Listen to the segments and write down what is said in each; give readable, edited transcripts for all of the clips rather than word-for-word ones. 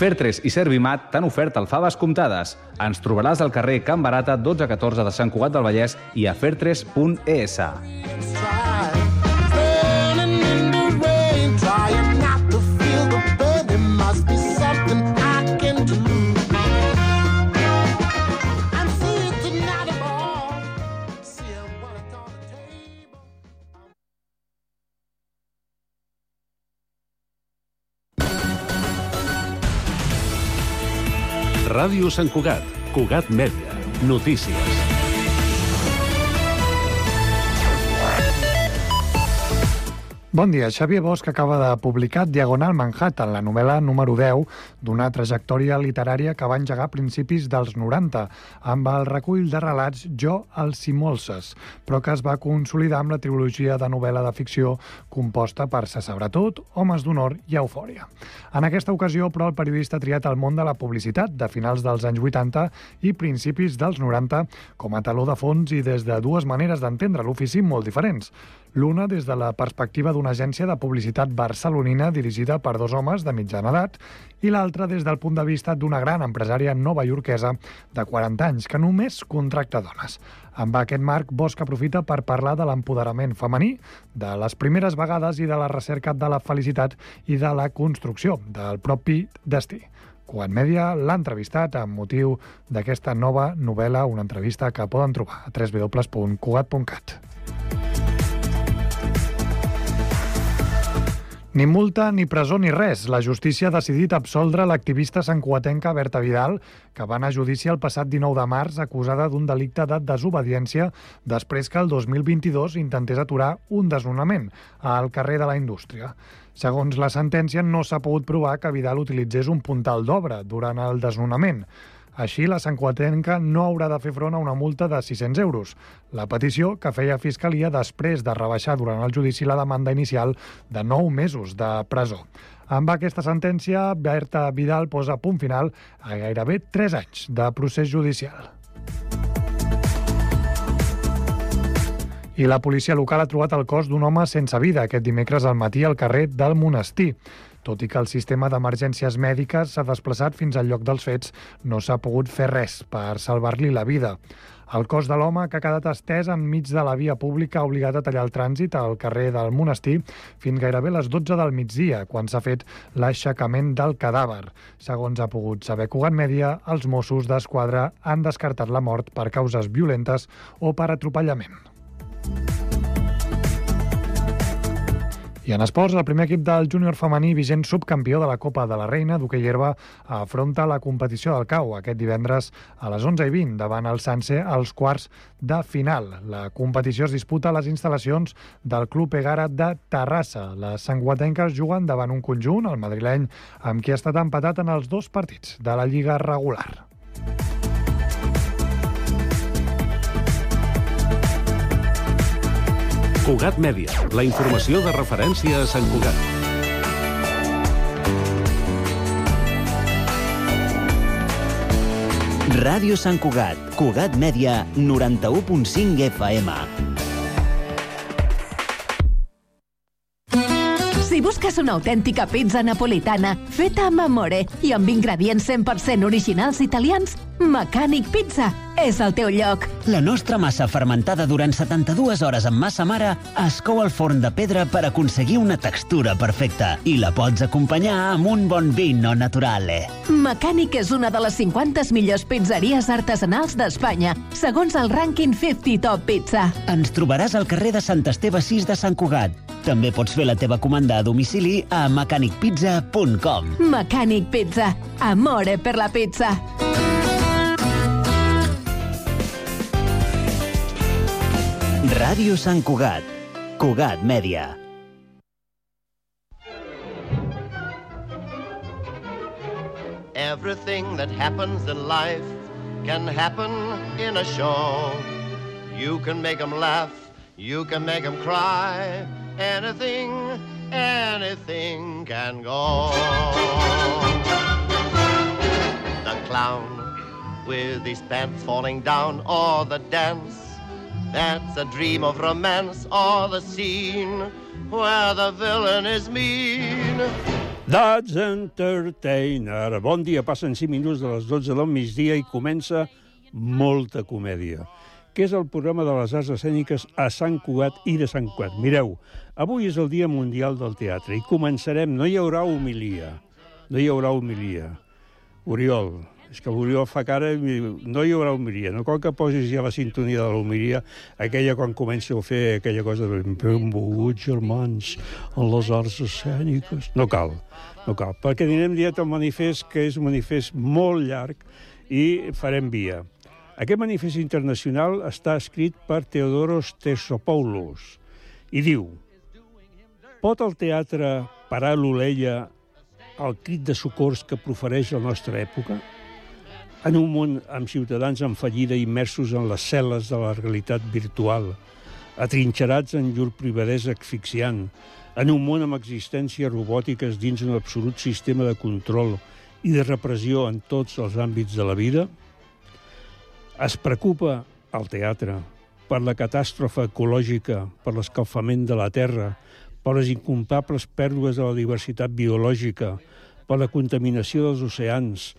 Fertres i Servimat t'han ofert alfaves comptades. Ens trobaràs al carrer Can Barata 1214 de Sant Cugat del Vallès i a fertres.es. Ràdio Sant Cugat, Cugat Mèdia, notícies. Bon dia. Xavier Bosch acaba de publicar Diagonal Manhattan, la novel·la número 10 d'una trajectòria literària que va engegar a principis dels 90, amb el recull de relats Jo, els Simolses, però que es va consolidar amb la trilogia de novel·la de ficció composta per Se sabrà tot, Homes d'honor i Eufòria. En aquesta ocasió, però, el periodista ha triat el món de la publicitat de finals dels anys 80 i principis dels 90 com a taló de fons i des de dues maneres d'entendre l'ofici molt diferents. L'una des de la perspectiva d'una agència de publicitat barcelonina dirigida per dos homes de mitjana edat i l'altra des del punt de vista d'una gran empresària novaiorquesa de 40 anys que només contracta dones. Amb aquest marc, Bosch aprofita per parlar de l'empoderament femení, de les primeres vegades i de la recerca de la felicitat i de la construcció del propi destí. Cugat Mèdia l'ha entrevistat amb motiu d'aquesta nova novel·la, una entrevista que poden trobar a www.cugat.cat. Ni multa, ni presó, ni res. La justícia ha decidit absoldre l'activista santcugatenca Berta Vidal, que va anar a judici el passat 19 de març acusada d'un delicte de desobediència després que el 2022 intentés aturar un desnonament al carrer de la Indústria. Segons la sentència, no s'ha pogut provar que Vidal utilitzés un puntal d'obra durant el desnonament. Així, la santcugatenca no haurà de fer front a una multa de 600 euros. La petició que feia Fiscalia després de rebaixar durant el judici la demanda inicial de 9 mesos de presó. Amb aquesta sentència, Berta Vidal posa punt final a gairebé 3 anys de procés judicial. I la policia local ha trobat el cos d'un home sense vida aquest dimecres al matí al carrer del Monestir. Tot i que el sistema d'emergències mèdiques s'ha desplaçat fins al lloc dels fets, no s'ha pogut fer res per salvar-li la vida. El cos de l'home, que ha quedat estès enmig de la via pública, ha obligat a tallar el trànsit al carrer del Monestir fins gairebé les 12 del migdia, quan s'ha fet l'aixecament del cadàver. Segons ha pogut saber Cugat Mèdia, els Mossos d'Esquadra han descartat la mort per causes violentes o per atropellament. I en esports, el primer equip del júnior femení, vigent subcampió de la Copa de la Reina d'hoquei herba, afronta la competició del CAU aquest divendres a les 11:20 davant el Sanse als quarts de final. La competició es disputa a les instal·lacions del Club Egara de Terrassa. Les santcugatenques juguen davant un conjunt, el madrileny, amb qui ha estat empatat en els 2 partits de la Lliga regular. Cugat Mèdia, la informació de referència a Sant Cugat. Ràdio Sant Cugat, Cugat Mèdia, 91.5 FM. Si busques una autèntica pizza napolitana feta amb amore i amb ingredients 100% originals italians, Mecànic Pizza és el teu lloc. La nostra massa fermentada durant 72 hores amb massa mare es cou al forn de pedra per aconseguir una textura perfecta i la pots acompanyar amb un bon vino naturale. Mecànic és una de les 50 millors pizzeries artesanals d'Espanya, segons el rànquing 50 Top Pizza. Ens trobaràs al carrer de Sant Esteve 6 de Sant Cugat. També pots fer la teva comanda a domicili a mecanicpizza.com. Mecànic Pizza. Amore per la pizza. Ràdio Sant Cugat, Cugat Mèdia. Everything that happens in life can happen in a show. You can make them laugh, you can make them cry. Anything, anything can go. The clown with his pants falling down, or the dance that's a dream of romance, or the scene where the villain is mean. That's Entertainer. Bon dia, passen 5 minuts de les 12 del migdia i comença Molta Comèdia, que és el programa de les arts escèniques a Sant Cugat i de Sant Cugat. Mireu, avui és el Dia Mundial del Teatre i començarem, no hi haurà homilia. Oriol, és que l'Oriol fa cara i no hi haurà homilia. No cal que posis ja la sintonia de l'homilia, aquella quan comença a fer aquella cosa de benvolguts germans en les arts escèniques. No cal, perquè anirem directe al manifest, que és un manifest molt llarg, i farem via. Aquest manifest internacional està escrit per Theodoros Tersopoulos i diu: pot el teatre parar l'oleia al crit de socors que profereix la nostra època? En un món amb ciutadans en fallida immersos en les cel·les de la realitat virtual, atrinxerats en llur privadesa asfixiant, en un món amb existències robòtiques dins un absolut sistema de control i de repressió en tots els àmbits de la vida? Es preocupa el teatre per la catàstrofe ecològica, per l'escalfament de la terra, per les incomptables pèrdues de la diversitat biològica, per la contaminació dels oceans,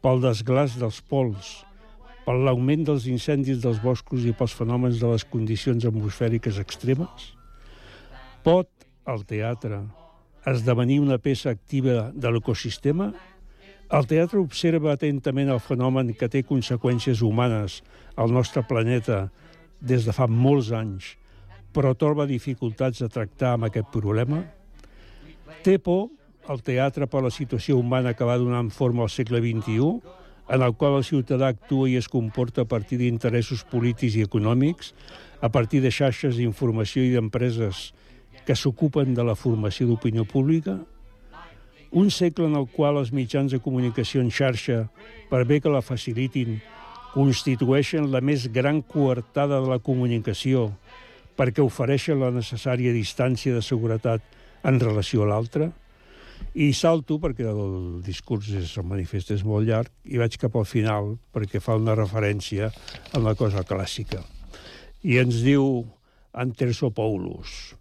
pel desglaç dels pols, per l'augment dels incendis dels boscos i pels fenòmens de les condicions atmosfèriques extremes? Pot el teatre esdevenir una peça activa de l'ecosistema? El teatre observa atentament el fenomen que té conseqüències humanes al nostre planeta des de fa molts anys, però troba dificultats a tractar amb aquest problema? Té por el teatre per la situació humana que va donant forma al segle XXI, en el qual el ciutadà actua i es comporta a partir d'interessos polítics i econòmics, a partir de xarxes d'informació i d'empreses que s'ocupen de la formació d'opinió pública? Un segle en el qual els mitjans de comunicació en xarxa, per bé que la facilitin, constitueixen la més gran coartada de la comunicació, perquè ofereixen la necessària distància de seguretat en relació a l'altre? I salto, perquè el discurs, el manifest és molt llarg, i vaig cap al final, perquè fa una referència a una cosa clàssica. I ens diu en Tersopoulos: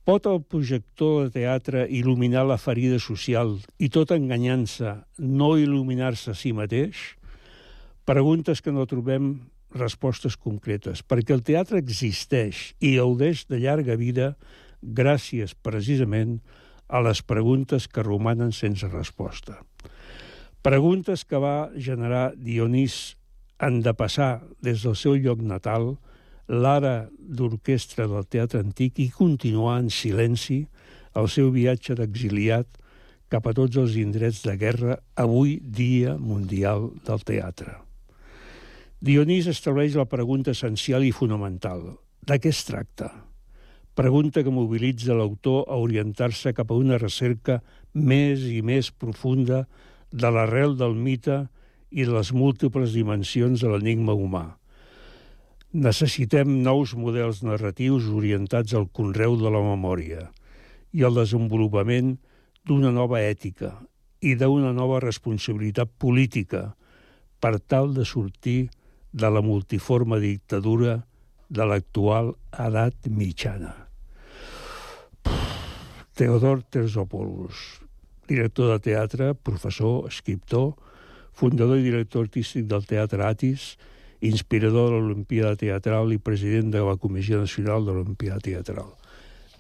pot el projector de teatre il·luminar la ferida social i tot enganyant-se no il·luminar-se a si mateix? Preguntes que no trobem respostes concretes, perquè el teatre existeix i gaudeix de llarga vida gràcies, precisament, a les preguntes que romanen sense resposta. Preguntes que va generar Dionís en depassar des del seu lloc natal l'ara d'orquestra del teatre antic i continuar en silenci el seu viatge d'exiliat cap a tots els indrets de guerra, avui Dia Mundial del Teatre. Dionís estableix la pregunta essencial i fonamental: de què es tracta? Pregunta que mobilitza l'autor a orientar-se cap a una recerca més i més profunda de l'arrel del mite i de les múltiples dimensions de l'enigma humà. Necessitem nous models narratius orientats al conreu de la memòria i al desenvolupament d'una nova ètica i d'una nova responsabilitat política per tal de sortir de la multiforme dictadura de l'actual edat mitjana. Theodoros Tersopoulos, director de teatre, professor, escriptor, fundador i director artístic del Teatre Atis, inspirador de l'Olimpíada Teatral i president de la Comissió Nacional de l'Olimpíada Teatral.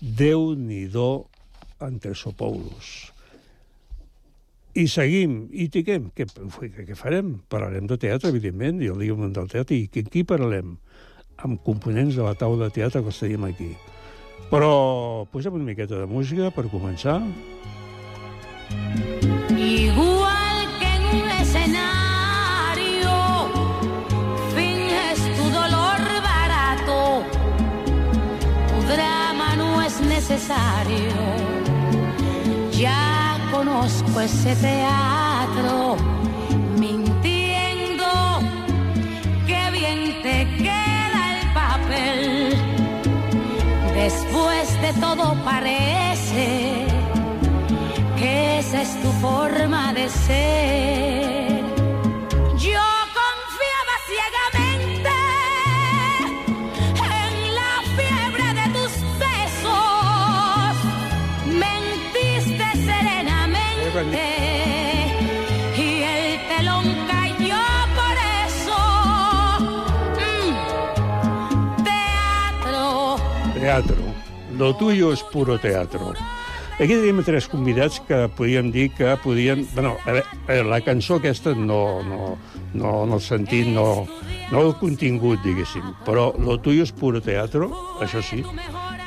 Déu-n'hi-do en Tersopoulos. I seguim, i tiquem. Què farem? Parlarem de teatre, evidentment, i el Dia Mundial del Teatre. I qui parlarem? Amb components de la taula de teatre que els tenim aquí. Però posem una miqueta de música per començar. Igual que en un escenario finges tu dolor barato, tu drama no es necesario. Ya conozco ese teatro, mintiendo, qué bien te queda el papel. Después de todo parece que esa es tu forma de ser. Yo confiaba ciegamente en la fiebre de tus besos. Mentiste teatro. Lo tuyo es puro teatro. Aquí tenim 3 convidats que podíem dir que podien... Bueno, a veure, la cançó aquesta no en el sentit, no el contingut, diguéssim, però lo tuyo es puro teatro, això sí,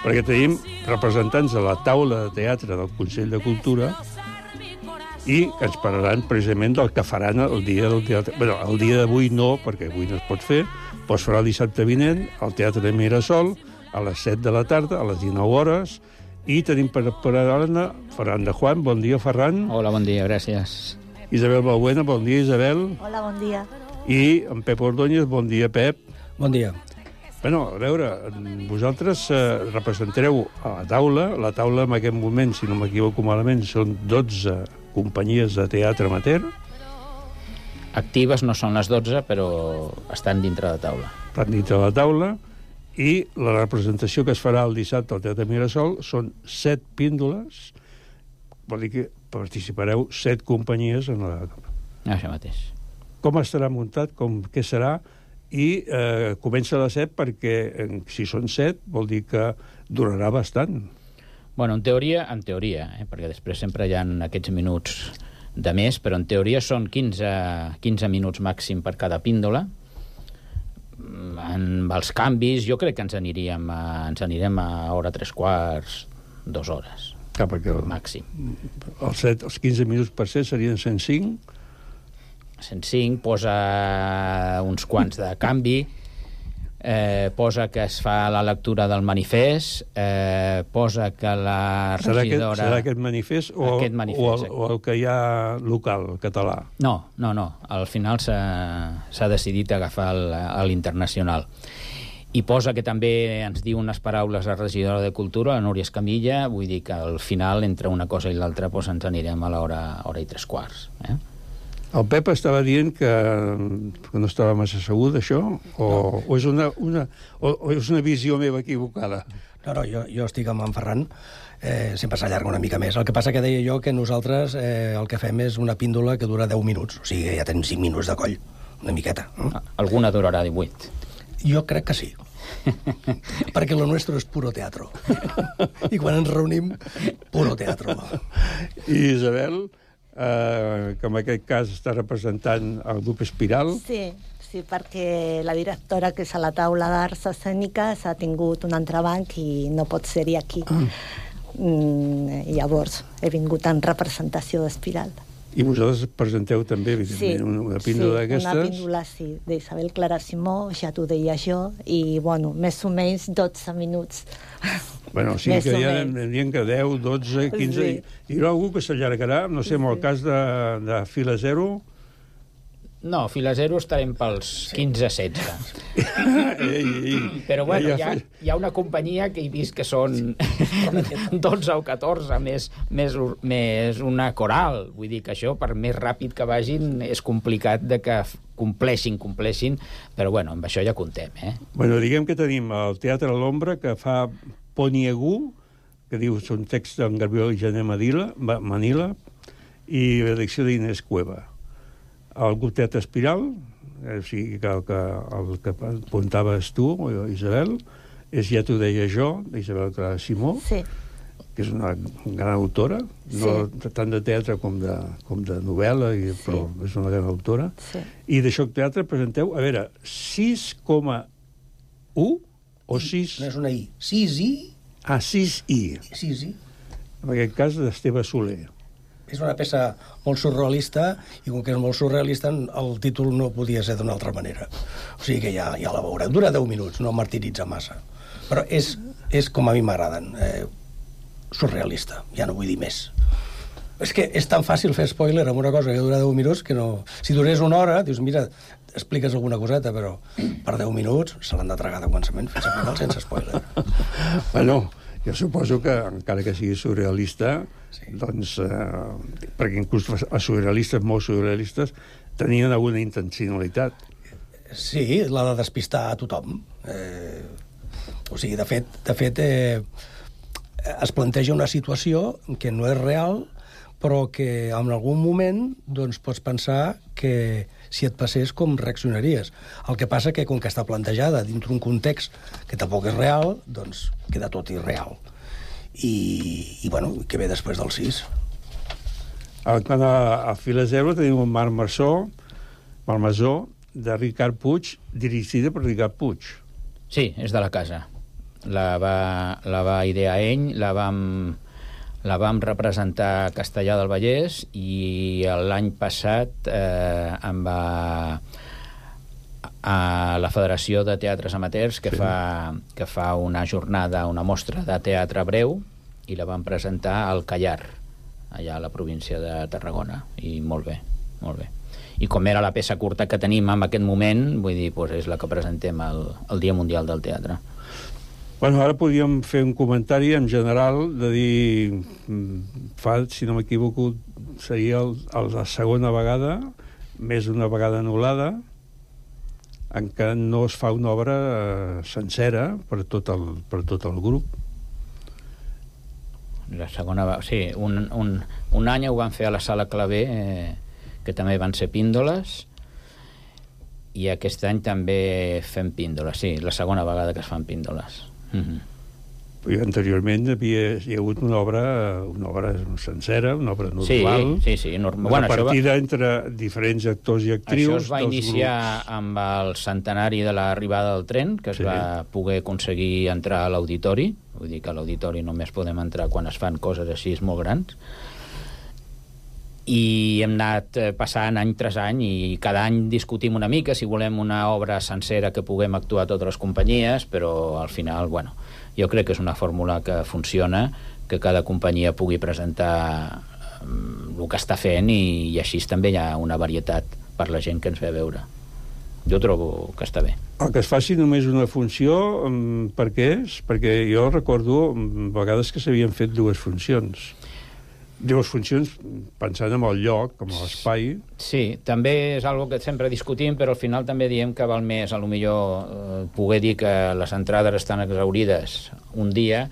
perquè tenim representants de la taula de teatre del Consell de Cultura i que ens parlaran precisament del que faran el dia del teatre. Bé, el dia d'avui no, perquè avui no es pot fer, però es farà el dissabte vinent al Teatre de Mirasol a les 7 de la tarda, a les 19 hores, i tenim per parlar-ne Ferran de Juan. Bon dia, Ferran. Hola, bon dia, gràcies. Isabel Balbuena, bon dia, Isabel. Hola, bon dia. I en Pep Ordóñez, bon dia, Pep. Bon dia. Bueno, a veure, vosaltres representareu a la taula en aquest moment, si no m'equivoco malament, són 12 companyies de teatre amateur. Actives no són les 12, però estan dintre de taula. Estan dintre de la taula, i la representació que es farà el dissabte al Teatre Mirasol són 7 píndoles, vol dir que participareu 7 companyies en la taula. Això mateix. Com estarà muntat, què serà, i comença a les 7 perquè si són 7 vol dir que durarà bastant. Bueno, en teoria, perquè després sempre hi ha aquests minuts de més, però en teoria són 15 minuts màxim per cada píndola. Amb els canvis, jo crec que ens anirem a hora 3/4, 2 hores. Clar, perquè màxim. Els 15 minuts per set serien 105? 105, posa uns quants de canvi, posa que es fa la lectura del manifest, posa que la regidora... Serà aquest manifest o el que hi ha local, el català? No. Al final s'ha decidit agafar l'internacional. I posa que també ens diu unes paraules la regidora de Cultura, la Núria Escamilla, vull dir que al final, entre una cosa i l'altra, ens anirem a l'hora i 3/4. El Pep estava dient que no estava massa segur d'això? O és una visió meva equivocada? No, jo estic amb en Ferran. Sempre s'allarga una mica més. El que passa que deia jo que nosaltres el que fem és una píndola que dura 10 minuts. O sigui, ja tenim 5 minuts de coll. Una miqueta. Alguna durarà 18. Jo crec que sí. Perquè lo nuestro és puro teatro. I quan ens reunim, puro teatro. I Isabel, que en aquest cas està representant el grup Espiral. Sí, perquè la directora, que és a la taula d'arts escèniques, ha tingut un entrebanc i no pot ser-hi aquí. Llavors, he vingut en representació d'Espiral. I vosaltres presenteu també, evidentment, una píndola d'aquestes? Sí, una píndola, d'Isabel Clara Simó, ja t'ho deia jo, i, bueno, més o menys 12 minuts. Bueno, sí que em diuen que 10, 12, 15... Hi haurà algú que s'allargarà, no sé, en el cas de Fila Zero... No, Fila Zero estarem pels 15-16. Però, bueno, hi ha una companyia que he vist que són 12 o 14, més una coral. Vull dir que això, per més ràpid que vagin, és complicat de que compleixin, però, bueno, amb això ja comptem, Bueno, diguem que tenim el Teatre a l'Ombra, que fa Poniegú, que diu són texts d'en Gabriel Jané Manila, i la direcció d'Inés Cueva. El grup Teatre Espiral, o sigui, el que apuntaves tu, Isabel, ja t'ho deia jo, Isabel Clara Simó, que és una gran autora, no tant de teatre com de novel·la, però és una gran autora. I d'això teatre presenteu, a veure, 6,1 o 6... No és una I, 6I. 6I. 6I. En aquest cas, d'Esteve Soler. És una peça molt surrealista, i com que és molt surrealista, el títol no podia ser d'una altra manera. O sigui que ja la veureu. Dura 10 minuts, no martiritza massa. Però és com a mi m'agraden. Surrealista, ja no vull dir més. És que és tan fàcil fer spoiler amb una cosa que dura 10 minuts que no... Si durés una hora, dius, mira, expliques alguna coseta, però per 10 minuts se l'han de tragar de començament fins a final sense spoiler. Bueno, jo suposo que, encara que sigui surrealista, doncs, perquè inclús els surrealistes, molts surrealistes, tenien alguna intencionalitat. Sí, la de despistar a tothom. O sigui, de fet, es planteja una situació que no és real, però que en algun moment doncs, pots pensar que si et passés, com reaccionaries. El que passa que, com que està plantejada dintre un context que tampoc és real, doncs queda tot irreal. I bueno, què ve després del 6? Quan a Fila Zero tenim un Malmesó, de Ricard Puig, dirigida per Ricard Puig. Sí, és de la casa. La va idear ell, la vam representar a Castellar del Vallès i l'any passat a la Federació de Teatres Amateurs que fa una jornada, una mostra de teatre breu i la vam presentar al Callar, allà a la província de Tarragona, i molt bé, molt bé. I com era la peça curta que tenim en aquest moment, vull dir, doncs és la que presentem el Dia Mundial del Teatre. Bueno, ara podríem fer un comentari en general de dir, si no m'equivoco, seria la segona vegada, més d'una vegada anul·lada, en què no es fa una obra sencera per tot el grup. La segona vegada, sí, un any ho van fer a la Sala Clavé, que també van ser píndoles, i aquest any també fem píndoles, sí, la segona vegada que es fan píndoles. I anteriorment hi ha hagut una obra sencera, una obra normal, una partida entre diferents actors i actrius. Això es va iniciar amb el centenari de l'arribada del tren, que es va poder aconseguir entrar a l'auditori, vull dir que a l'auditori només podem entrar quan es fan coses així molt grans, i hem anat passant any tras any i cada any discutim una mica si volem una obra sencera que puguem actuar totes les companyies, però al final, bueno, jo crec que és una fórmula que funciona, que cada companyia pugui presentar el que està fent i així també hi ha una varietat per la gent que ens ve a veure. Jo trobo que està bé. El que es faci només una funció, per què és? Perquè jo recordo vegades que s'havien fet dues funcions pensant en el lloc, com l'espai. Sí, també és algo que sempre discutim, però al final també diem que val més, a lo millor, poder dir que les entrades estan exaurides un dia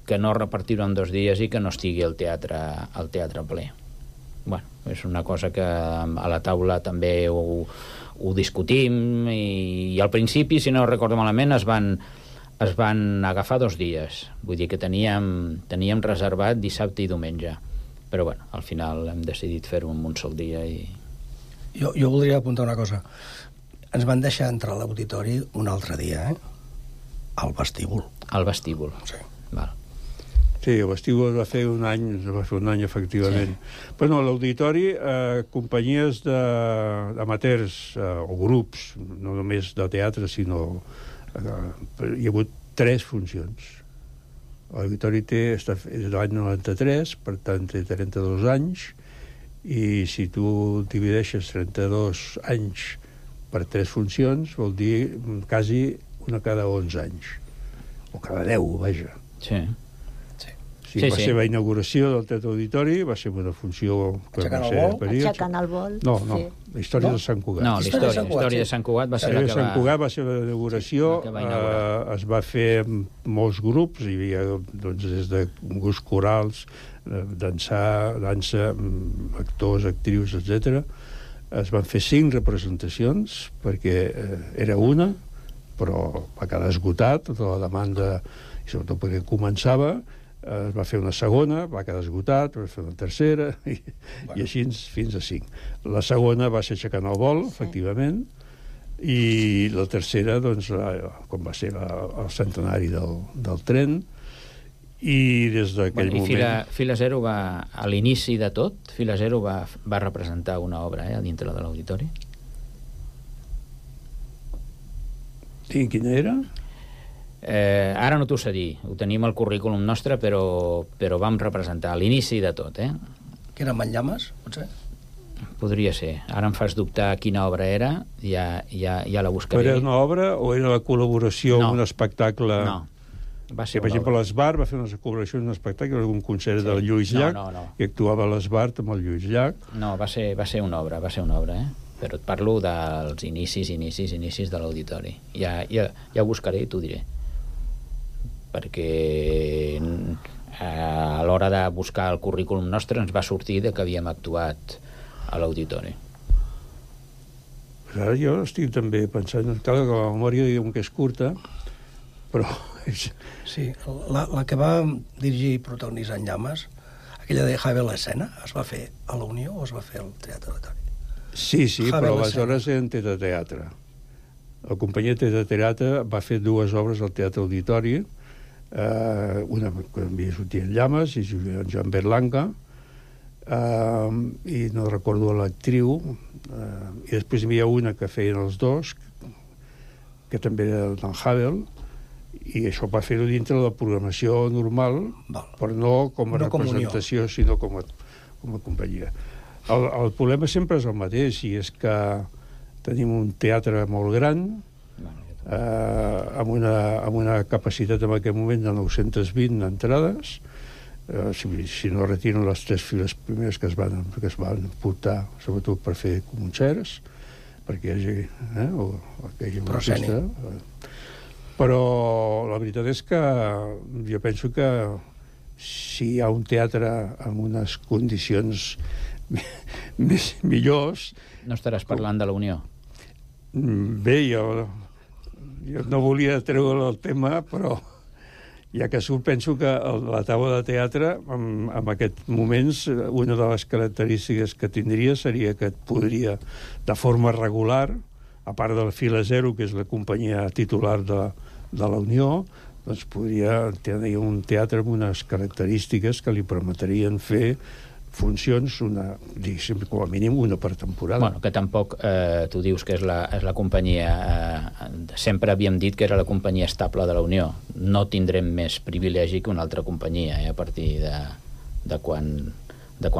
que no repartir-ho en 2 dies i que no estigui el teatre ple. Bueno, és una cosa que a la taula també ho discutim i al principi, si no recordo malament, es van agafar 2 dies. Vull dir que teníem reservat dissabte i diumenge. Però, bueno, al final hem decidit fer-ho en un sol dia i... Jo voldria apuntar una cosa. Ens van deixar entrar a l'auditori un altre dia, al vestíbul. Al vestíbul. Sí. Val. Sí, el vestíbul va fer un any, efectivament. Sí. Bueno, a l'auditori, companyies d'amateurs o grups, no només de teatre, sinó... hi ha hagut 3 funcions. L'auditori és de l'any 93, per tant té 32 anys, i si tu divideixes 32 anys per 3 funcions, vol dir quasi una cada 11 anys. O cada 10, vaja. Sí. Va ser la inauguració del Teatre Auditori, va ser una funció... Aixecant el vol. No, la història de Sant Cugat. No, la història de Sant Cugat va ser la que va... Sant Cugat va ser la inauguració, es va fer molts grups, hi havia des de grups corals, dansa, actors, actrius, etc. Es van fer 5 representacions, perquè era una, però va quedar esgotat, tota la demanda, i sobretot perquè començava. Es va fer una segona, va quedar esgotat, va fer una tercera, i així fins a 5. La segona va ser Aixecant el vol, efectivament, i la tercera, doncs, com va ser el centenari del tren, i des d'aquell moment... Fila Zero va, a l'inici de tot, Fila Zero va representar una obra dintre de l'auditori. I quina era? Ara no t'ho sé dir, ho tenim al currículum nostre, però vam representar a l'inici de tot, Que era Manllames, potser? Podria ser. Ara em fas dubtar quina obra era, ja la buscaré. Però era una obra o era la col·laboració amb un espectacle? No, va ser per exemple, l'Esbart va fer una col·laboració en un espectacle, un concert del Lluís Llach, i actuava l'Esbart amb el Lluís Llach. No, va ser una obra, però et parlo dels inicis de l'auditori. Ja ho buscaré i t'ho diré. Perquè a l'hora de buscar el currículum nostre ens va sortir que havíem actuat a l'auditori. Ara jo estic també pensant, clar, que la memòria diguem que és curta, però... Sí, la que va dirigir i protagonitzar en Llames, aquella de Javier l'Escena, es va fer a la Unió o es va fer al Teatre Auditori? Sí, però aleshores eren teatre. La companyia Teatre va fer 2 obres al Teatre Auditori, una que havia sortit en Llames i Joan Berlanga, i no recordo l'actriu, i després hi havia una que feien els dos, que també era d'en Havel, i això va fer-ho dintre de la programació normal, però no com a representació, sinó com a companyia. El problema sempre és el mateix, i és que tenim un teatre molt gran, amb una capacitat en aquest moment de 920 entrades, si no retiren les 3 files primeres que es van portar, sobretot per fer concerts, perquè hi hagi una festa. Però la veritat és que jo penso que si hi ha un teatre amb unes condicions millors... No estaràs parlant de la Unió? Bé, jo no volia treure el tema, però ja que surt, penso que la taula de teatre, en aquests moments, una de les característiques que tindria seria que et podria, de forma regular, a part de la Fila Zero, que és la companyia titular de la Unió, doncs podria tenir un teatre amb unes característiques que li permetrien fer funcions, diguéssim, com a mínim una per temporada. Bueno, que tampoc, tu dius que és la companyia, sempre havíem dit que era la companyia estable de la Unió. No tindrem més privilegi que una altra companyia, a partir de quan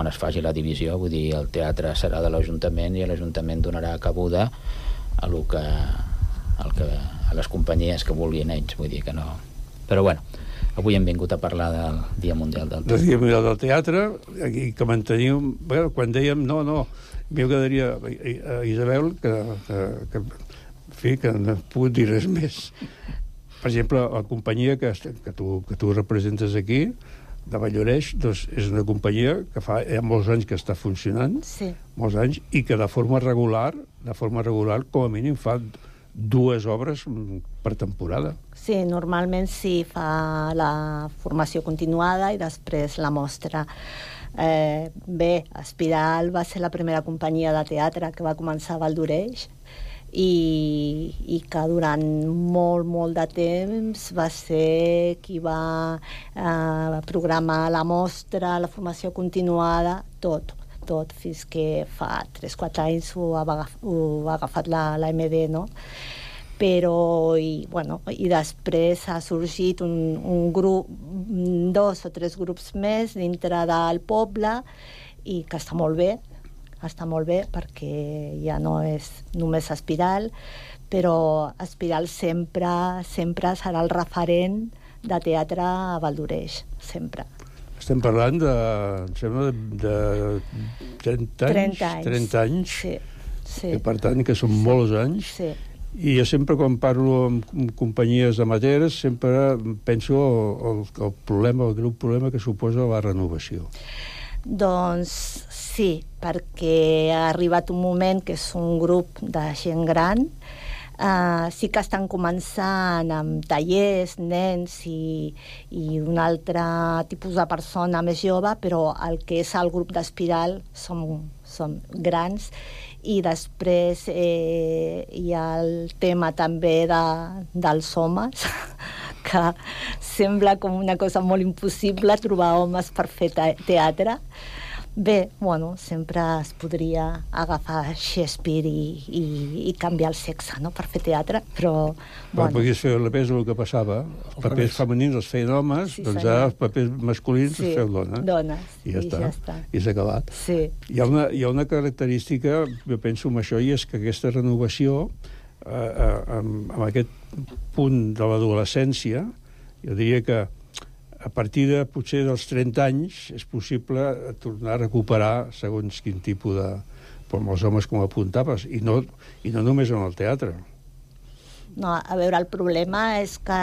es faci la divisió. Vull dir, el teatre serà de l'Ajuntament i l'Ajuntament donarà cabuda a les companyies que vulguin ells, vull dir que no... Però bueno, avui hem vingut a parlar del Dia Mundial del Teatre. Del Dia Mundial del Teatre, aquí que mantenim... Bueno, quan dèiem m'agradaria a Isabel que no puc dir res més. Per exemple, la companyia que tu representes aquí, de Valloreix, doncs és una companyia que fa molts anys que està funcionant, molts anys, i que de forma regular, com a mínim fa 2 obres per temporada. Sí, normalment sí, fa la formació continuada i després la mostra. Bé, Espiral va ser la primera companyia de teatre que va començar a Valloreix i que durant molt de temps va ser qui va programar la mostra, la formació continuada, tot, fins que fa 3-4 anys ho ha agafat la MD, no? Però, i després ha sorgit un grup, 2 o 3 grups més dintre del poble, i que està molt bé perquè ja no és només Espiral, però Espiral sempre serà el referent de teatre a Valloreix, sempre. Estem parlant em sembla, de 30 anys. Sí. I per tant, que són molts anys. Sí. I jo sempre, quan parlo amb companyies amateurs, sempre penso el greu problema que suposa la renovació. Doncs sí, perquè ha arribat un moment que és un grup de gent gran. Sí que estan començant amb tallers, nens i un altre tipus de persona més jove, però el que és el grup d'Espiral som grans, i després hi ha el tema també dels homes, que sembla com una cosa molt impossible trobar homes per fer teatre. Bé, sempre es podria agafar Shakespeare i canviar el sexe, no?, per fer teatre, però... Podies fer al revés el que passava. Els papers femenins els feien homes, doncs ara els papers masculins els feu dones. Dones, i ja està. I s'ha acabat. Sí. Hi ha una característica, jo penso en això, i és que aquesta renovació, amb aquest punt de l'adolescència, jo diria que a partir de, potser, dels 30 anys és possible tornar a recuperar segons quin tipus de... com els homes, com apuntaves, i no només en el teatre. No, a veure, el problema és que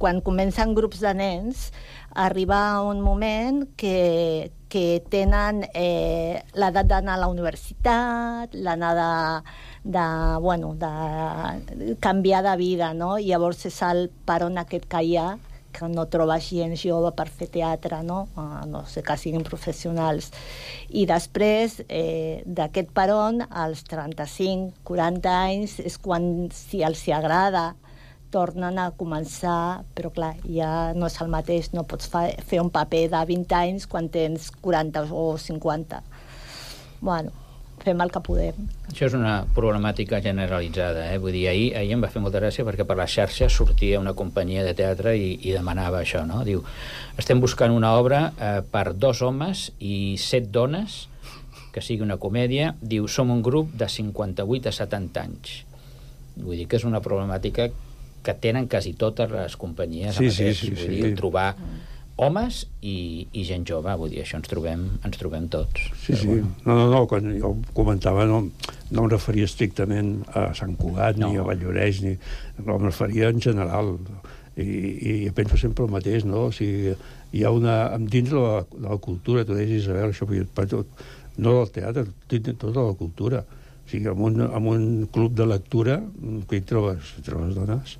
quan comencen grups de nens arriba un moment que que tenen l'edat d'anar a la universitat, l'anar de canviar de vida, no? Llavors és el peron aquest que hi ha, que no trobes gent jove per fer teatre, no? No sé, que siguin professionals. I després d'aquest peron, als 35-40 anys, és quan, si els agrada, tornen a començar, però clar, ja no és el mateix, no pots fer un paper de 20 anys quan tens 40 o 50. Bueno, fem el que podem. Això és una problemàtica generalitzada, Vull dir, ahir em va fer molta gràcia perquè per la xarxa sortia una companyia de teatre i demanava això, no? Diu, estem buscant una obra per 2 homes i 7 dones, que sigui una comèdia. Diu, som un grup de 58 a 70 anys. Vull dir que és una problemàtica que tenen quasi totes les companyies. Vull dir, trobar homes i gent jove, vull dir, això ens trobem tots. Sí. No, quan jo comentava no em referia estrictament a Sant Cugat, ni a Valldoreix, no em referia en general. I penso sempre el mateix, no? O sigui, hi ha dins de la cultura, tu deies, Isabel, això, no del teatre, tota la cultura. O sigui, en un club de lectura, que hi trobes dones?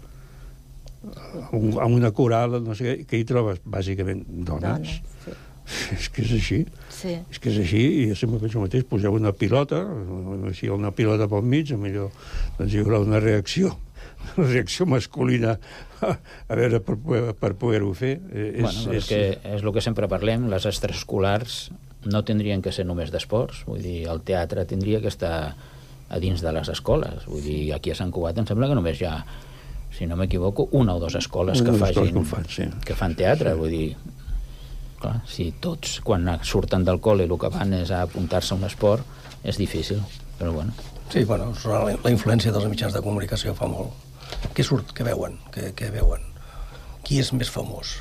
En una coral, no sé què hi trobes? Bàsicament dones. Sí. És que és així. Sí. És que és així, i jo sempre penso el mateix, poseu una pilota, si hi ha una pilota pel mig, millor doncs hi haurà una reacció masculina a veure per poder-ho fer. És el que sempre parlem, les extraescolars no tindrien que ser només d'esports, vull dir, el teatre tindria que estar a dins de les escoles. Vull dir, aquí a Sant Cugat em sembla que només hi ha, si no m'equivoco, 1 o 2 escoles que fan teatre. Vull dir, clar, si tots, quan surten del col·le, el que van és a apuntar-se a un esport, és difícil, però bueno. Sí, bueno, la influència dels mitjans de comunicació fa molt. Què surt? Què veuen? Què veuen? Qui és més famós?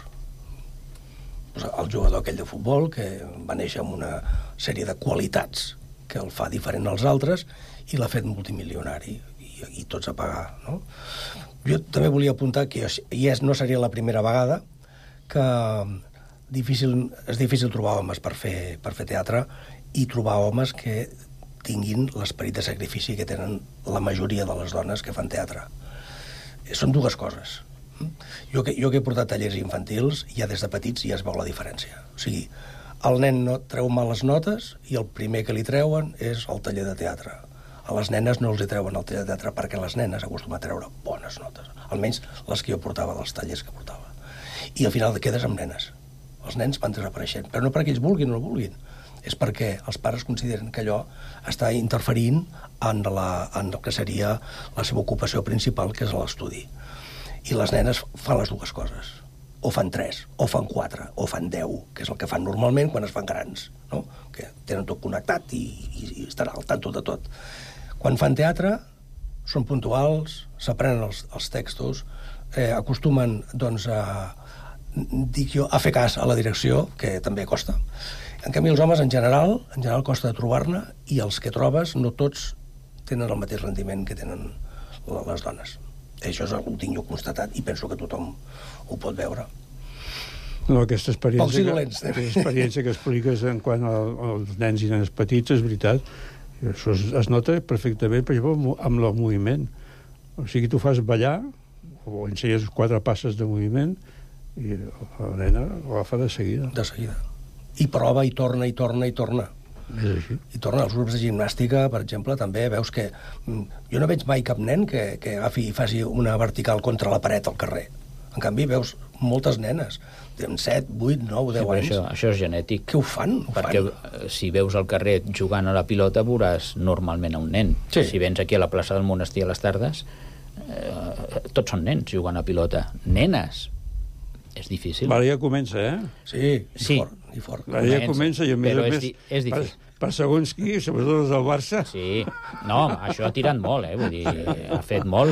El jugador aquell de futbol, que va néixer amb una sèrie de qualitats que el fa diferent als altres i l'ha fet multimilionari, i tots a pagar, no? Jo també volia apuntar que no seria la primera vegada que és difícil trobar homes per fer teatre i trobar homes que tinguin l'esperit de sacrifici que tenen la majoria de les dones que fan teatre. Són 2 coses. Jo que he portat tallers infantils, ja des de petits ja es veu la diferència. O sigui, el nen no treu males notes i el primer que li treuen és el taller de teatre. A les nenes no els hi treuen el taller de teatre perquè les nenes acostumen a treure bones notes, almenys les que jo portava dels tallers que portava. I al final quedes amb nenes. Els nens van desapareixent, però no perquè ells vulguin o no vulguin, és perquè els pares consideren que allò està interferint en el que seria la seva ocupació principal, que és l'estudi. I les nenes fan les 2 coses. O fan 3, o fan 4, o fan 10, que és el que fan normalment quan es fan grans, no? Que tenen tot connectat i estan al tanto de tot. Quan fan teatre, són puntuals, s'aprenen els textos, acostumen, doncs, a fer cas a la direcció, que també costa. En canvi, els homes, en general costa de trobar-ne, i els que trobes, no tots tenen el mateix rendiment que tenen les dones. Això ho tinc jo constatat, i penso que tothom ho pot veure. No, aquesta experiència que expliques en quant als nens i nenes petits, és veritat. Això es nota perfectament, per exemple, amb el moviment. O sigui, tu fas ballar, o ensenyes 4 passes de moviment, i la nena ho agafa de seguida. De seguida. I prova, i torna. És així. I torna als grups de gimnàstica, per exemple, també veus que... Jo no veig mai cap nen que agafi i faci una vertical contra la paret al carrer. En canvi, veus moltes nenes, amb 7, 8, 9, 10 anys. Això és genètic. Què ho fan? Perquè si veus al carrer jugant a la pilota, veuràs normalment a un nen. Sí. Si vens aquí a la plaça del Monestir a les tardes, tots són nens jugant a pilota. Nenes. És difícil. Ara ja comença, Sí, i fort. Ara ja comença, i a més a més... És difícil. Per segons qui, sobretot els del Barça. Sí, no, això ha tirat molt, vull dir, ha fet molt,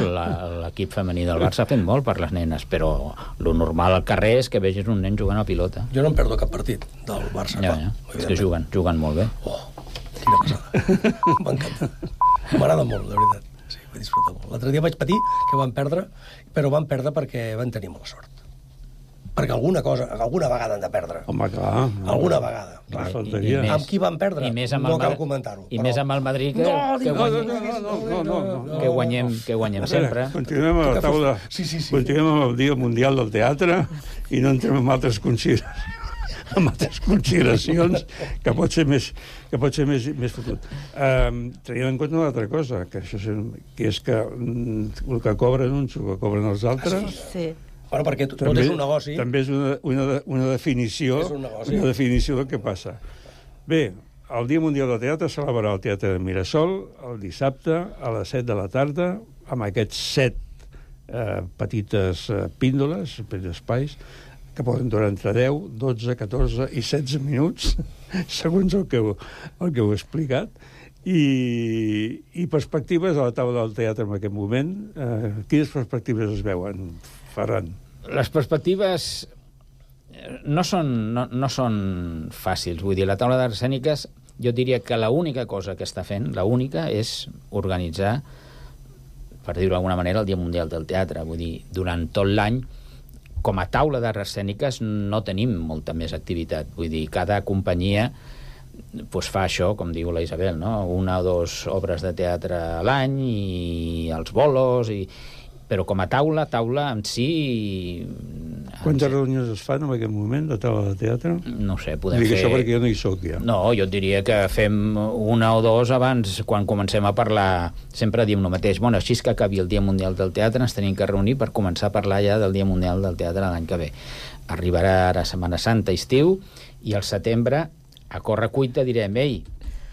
l'equip femení del Barça ha fet molt per les nenes, però lo normal al carrer és que vegis un nen jugant a pilota. Jo no em perdo cap partit del Barça. Ja. És que juguen molt bé. Oh, quina passada. M'encanta. M'agrada molt, de veritat. Sí, vaig disfrutar molt. L'altre dia vaig patir que van perdre, però van perdre perquè van tenir mala sort. Perquè alguna vegada han de perdre. Home, clar. Alguna vegada. Clar. Faltaria. Amb qui van perdre? No cal comentar-ho. I més amb el Madrid, que guanyem sempre. Continuem a la taula. Continuem amb el Dia Mundial del Teatre i no entrem en altres consideracions que pot ser més fotut. Tenint en compte una altra cosa, que és que el que cobren uns o que cobren els altres... Sí. Bueno, perquè tot és un negoci. També és una definició del que passa. Bé, el Dia Mundial del Teatre es celebrarà al Teatre de Mirasol el dissabte a les 7 de la tarda, amb aquests 7 petites píndoles, petits espais, que poden durar entre 10, 12, 14 i 16 minuts, segons el que heu explicat. I perspectives a la taula del teatre en aquest moment. Quines perspectives es veuen, Ferran? Les perspectives no són fàcils. Vull dir, la taula d'arts escèniques, jo diria que l'única cosa que està fent, l'única, és organitzar, per dir-ho d'alguna manera, el Dia Mundial del Teatre. Vull dir, durant tot l'any, com a taula d'arts escèniques, no tenim molta més activitat. Vull dir, cada companyia fa això, com diu la Isabel, no? 1 o 2 obres de teatre a l'any i els bolos, però com a taula en si... Quantes reunions es fan en aquest moment de taula de teatre? No sé, podem fer... Dic això perquè jo no hi soc, ja. No, jo et diria que fem 1 o 2 abans, quan comencem a parlar. Sempre diem el mateix. Bueno, així que acabi el Dia Mundial del Teatre, ens tenim que reunir per començar a parlar ja del Dia Mundial del Teatre l'any que ve. Arribarà ara Setmana Santa, estiu, i al setembre, a correcuita, direm,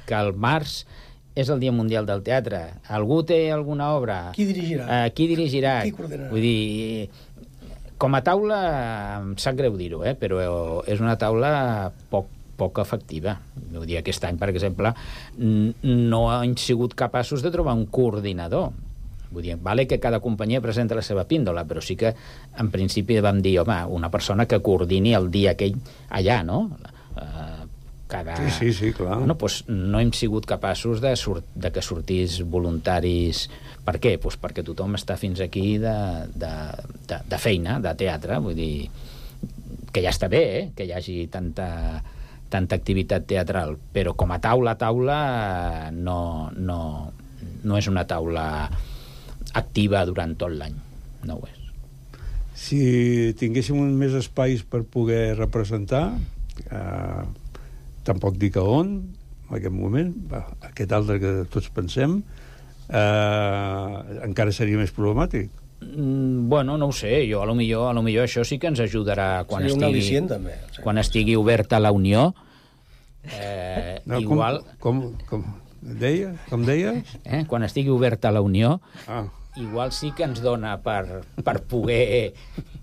que al març és el Dia Mundial del Teatre. Algú té alguna obra? Qui dirigirà? Qui dirigirà? Qui coordinarà? Vull dir, com a taula, em sap greu dir-ho, però és una taula poc efectiva. Vull dir, aquest any, per exemple, no hem sigut capaços de trobar un coordinador. Vull dir, vale que cada companyia presenta la seva píndola, però sí que, en principi, vam dir, home, una persona que coordini el dia aquell allà, no? Sí, clar. Bueno, no hem sigut capaços de que sortís voluntaris. Per què? Perquè tothom està fins aquí de feina, de teatre. Vull dir, que ja està bé, que hi hagi tanta activitat teatral, però com a taula no és una taula activa durant tot l'any. No ho és. Si tinguéssim més espais per poder representar... tampoc dic a on, en aquest moment, aquest altre que tots pensem, encara seria més problemàtic. Bueno, no ho sé, jo a lo millor això sí que ens ajudarà quan estigui oberta la Unió. Igual... Com deies? Quan estigui oberta la Unió, igual sí que ens dona per poder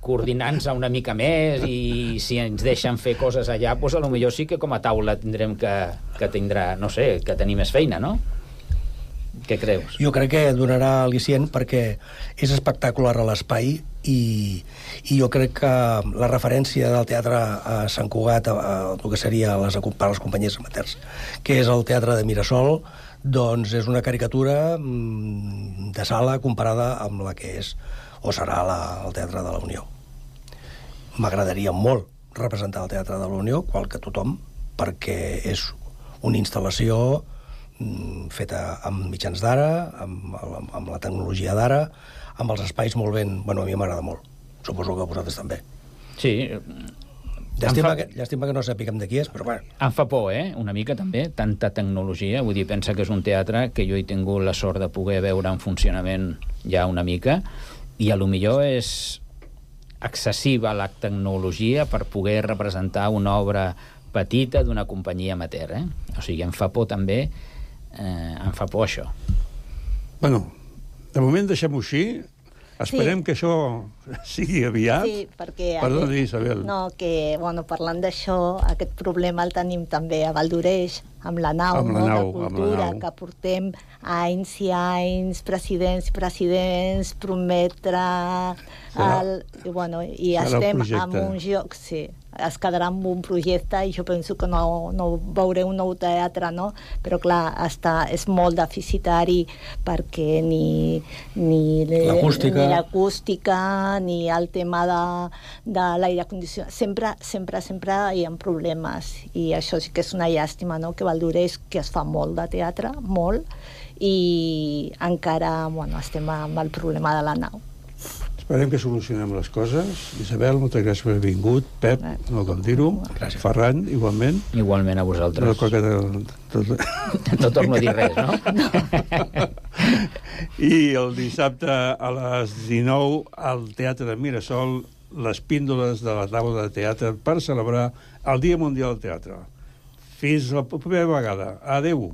coordinar-nos una mica més, i si ens deixen fer coses allà, doncs potser sí que com a taula tindrem que tindrà, no sé, que tenir més feina, no? Què creus? Jo crec que donarà al·licient perquè és espectacular a l'espai i jo crec que la referència del teatre a Sant Cugat, el que seria per les companyies amateurs, que és el teatre de Mirasol, doncs és una caricatura de sala comparada amb la que és o serà el Teatre de la Unió. M'agradaria molt representar el Teatre de la Unió, qual que tothom, perquè és una instal·lació feta amb mitjans d'ara, amb la tecnologia d'ara, amb els espais molt ben... Bueno, a mi m'agrada molt. Suposo que a vosaltres també. Sí. Llàstima que no sapiguem de qui és, però bueno. Em fa por, una mica també, tanta tecnologia. Vull dir, pensa que és un teatre que jo he tingut la sort de poder veure en funcionament ja una mica, i a lo millor és excessiva la tecnologia per poder representar una obra petita d'una companyia amateur, O sigui, em fa por també, em fa por això. Bueno, de moment deixem-ho així. Esperem que això sigui aviat. Sí, perquè... Perdona, Isabel. No, que, bueno, parlant d'això, aquest problema el tenim també a Valldoreix, amb la nau, de cultura, que portem anys i anys, presidents, prometre... I estem en un joc, sí, es quedarà amb un projecte i jo penso que no veuré un nou teatre, no? Però clar, és molt deficitari perquè ni l'acústica ni el tema de l'aire condicionat, sempre hi ha problemes, i això sí que és una llàstima, no? Que Valldoreix, que es fa molt de teatre, molt, i encara estem amb el problema de la nau. Esperem que solucionem les coses. Isabel, moltes gràcies per haver vingut. Pep, no cal dir-ho. Ferran, igualment. Igualment a vosaltres. No torno a dir res, no? I el dissabte a les 19 al Teatre de Mirasol, les píndoles de la taula de teatre per celebrar el Dia Mundial del Teatre. Fins la propera vegada. Adéu.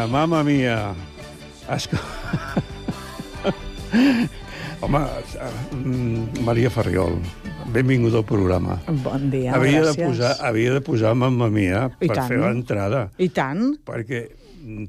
Mamma mia. Home, Maria Ferriol, benvinguda al programa. Bon dia, gràcies. Havia de posar Mamma mia per fer l'entrada. I tant. Perquè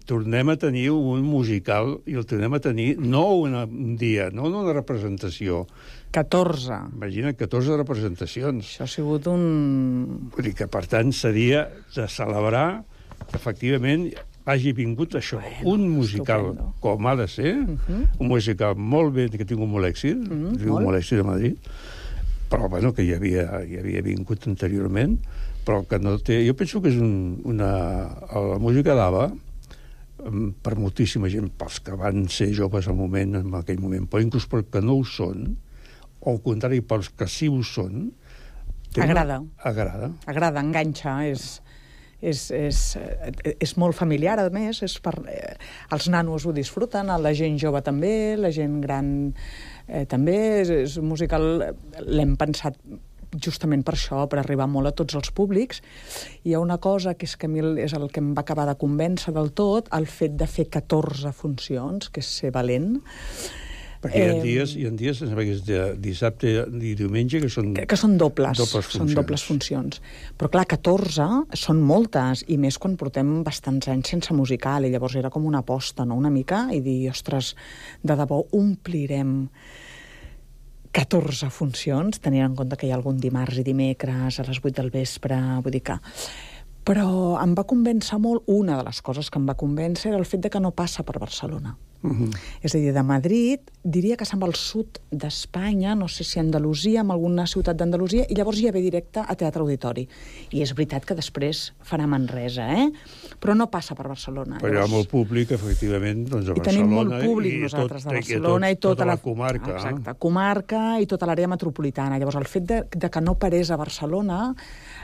tornem a tenir un musical, i el tornem a tenir no un dia, no una representació. 14. Imagina't, 14 representacions. Això ha sigut un... Vull dir que, per tant, seria de celebrar que, efectivament, hagi vingut això, un musical estupendo, com ha de ser, un musical molt bé, que ha tingut molt èxit, molt èxit a Madrid, però, bueno, que ja havia vingut anteriorment, però que no té... Jo penso que és la música d'ABBA, per moltíssima gent, pels que van ser joves en aquell moment, però inclús pels que no ho són, o al contrari, pels que sí ho són... Agrada. Agrada, enganxa, és molt familiar, a més, els nanos ho disfruten, la gent jove també, la gent gran també, és un musical, l'hem pensat justament per això, per arribar molt a tots els públics. Hi ha una cosa que és que a mi és el que em va acabar de convèncer del tot, el fet de fer 14 funcions, que és ser valent. Perquè hi ha dies, dissabte i diumenge, que són... Que són dobles funcions. Són dobles funcions. Però clar, 14 són moltes, i més quan portem bastants anys sense musical, i llavors era com una aposta, no?, una mica, i dir, ostres, de debò omplirem 14 funcions, tenint en compte que hi ha algun dimarts i dimecres a les 8 del vespre, vull dir que... Però em va convèncer molt, una de les coses que em va convèncer era el fet de que no passa per Barcelona. És a dir, de Madrid, diria que se'n va al sud d'Espanya, no sé si a Andalusia, en alguna ciutat d'Andalusia, i llavors ja ve directe a Teatre Auditori. I és veritat que després farà Manresa, però no passa per Barcelona. Però hi ha molt públic, efectivament, doncs a Barcelona. I tenim molt públic nosaltres de Barcelona i tota la comarca. Exacte, comarca i tota l'àrea metropolitana. Llavors, el fet de que no parés a Barcelona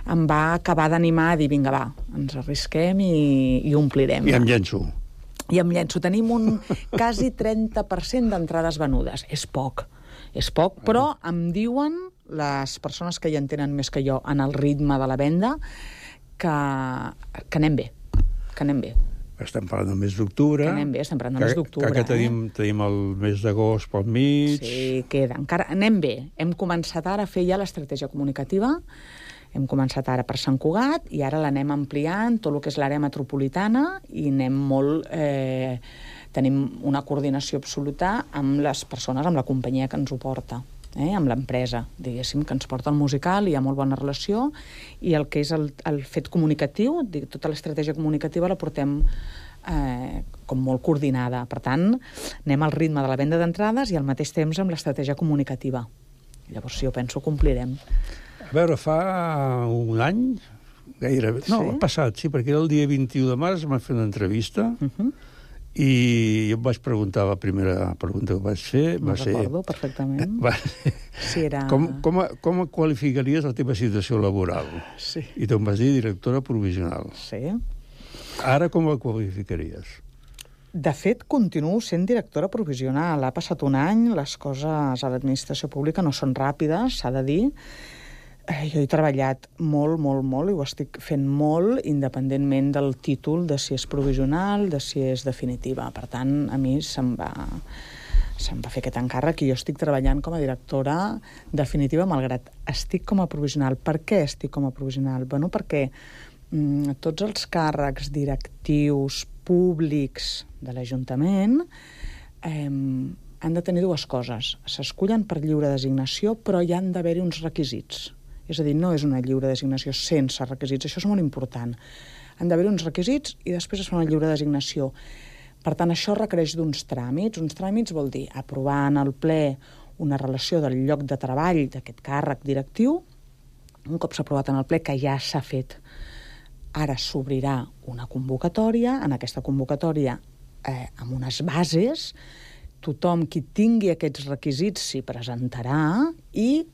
em va acabar d'animar a dir, vinga, va, ens arrisquem i omplirem. I em llenço. I em llenço. Tenim un quasi 30% d'entrades venudes. És poc, però em diuen les persones que hi entenen més que jo en el ritme de la venda que anem bé, Estem parlant del mes d'octubre. Que anem bé, estem parlant del mes d'octubre. Que tenim el mes d'agost pel mig. Sí, queda. Encara anem bé. Hem començat ara a fer ja l'estratègia comunicativa. Hem començat ara per Sant Cugat i ara l'anem ampliant tot el que és l'àrea metropolitana i anem molt... tenim una coordinació absoluta amb les persones, amb la companyia que ens ho porta, amb l'empresa, diguéssim, que ens porta el musical, hi ha molt bona relació, i el que és el fet comunicatiu, tota l'estratègia comunicativa la portem com molt coordinada. Per tant, anem al ritme de la venda d'entrades i al mateix temps amb l'estratègia comunicativa. Llavors, jo penso que complirem. A veure, fa un any, gairebé... No, l'any passat, sí, perquè el dia 21 de març vam fer una entrevista i jo em vaig preguntar, la primera pregunta que vaig fer va ser... Recordo perfectament. Sí, era... Com qualificaries la teva situació laboral? Sí. I tu em vas dir directora provisional. Sí. Ara com la qualificaries? De fet, continuo sent directora provisional. Ha passat un any, les coses a l'administració pública no són ràpides, s'ha de dir. Jo he treballat molt, i ho estic fent molt, independentment del títol de si és provisional, de si és definitiva. Per tant, a mi se'm va fer aquest encàrrec i jo estic treballant com a directora definitiva, malgrat estic com a provisional. Per què estic com a provisional? Bueno, perquè tots els càrrecs directius públics de l'Ajuntament han de tenir dues coses. S'escullen per lliure designació, però hi han d'haver-hi uns requisits. És a dir, no és una lliure designació sense requisits. Això és molt important. Han d'haver-hi uns requisits i després es fa una lliure designació. Per tant, això requereix d'uns tràmits. Uns tràmits vol dir aprovar en el ple una relació del lloc de treball d'aquest càrrec directiu. Un cop s'ha aprovat en el ple, que ja s'ha fet, ara s'obrirà una convocatòria. En aquesta convocatòria, amb unes bases, tothom qui tingui aquests requisits s'hi presentarà i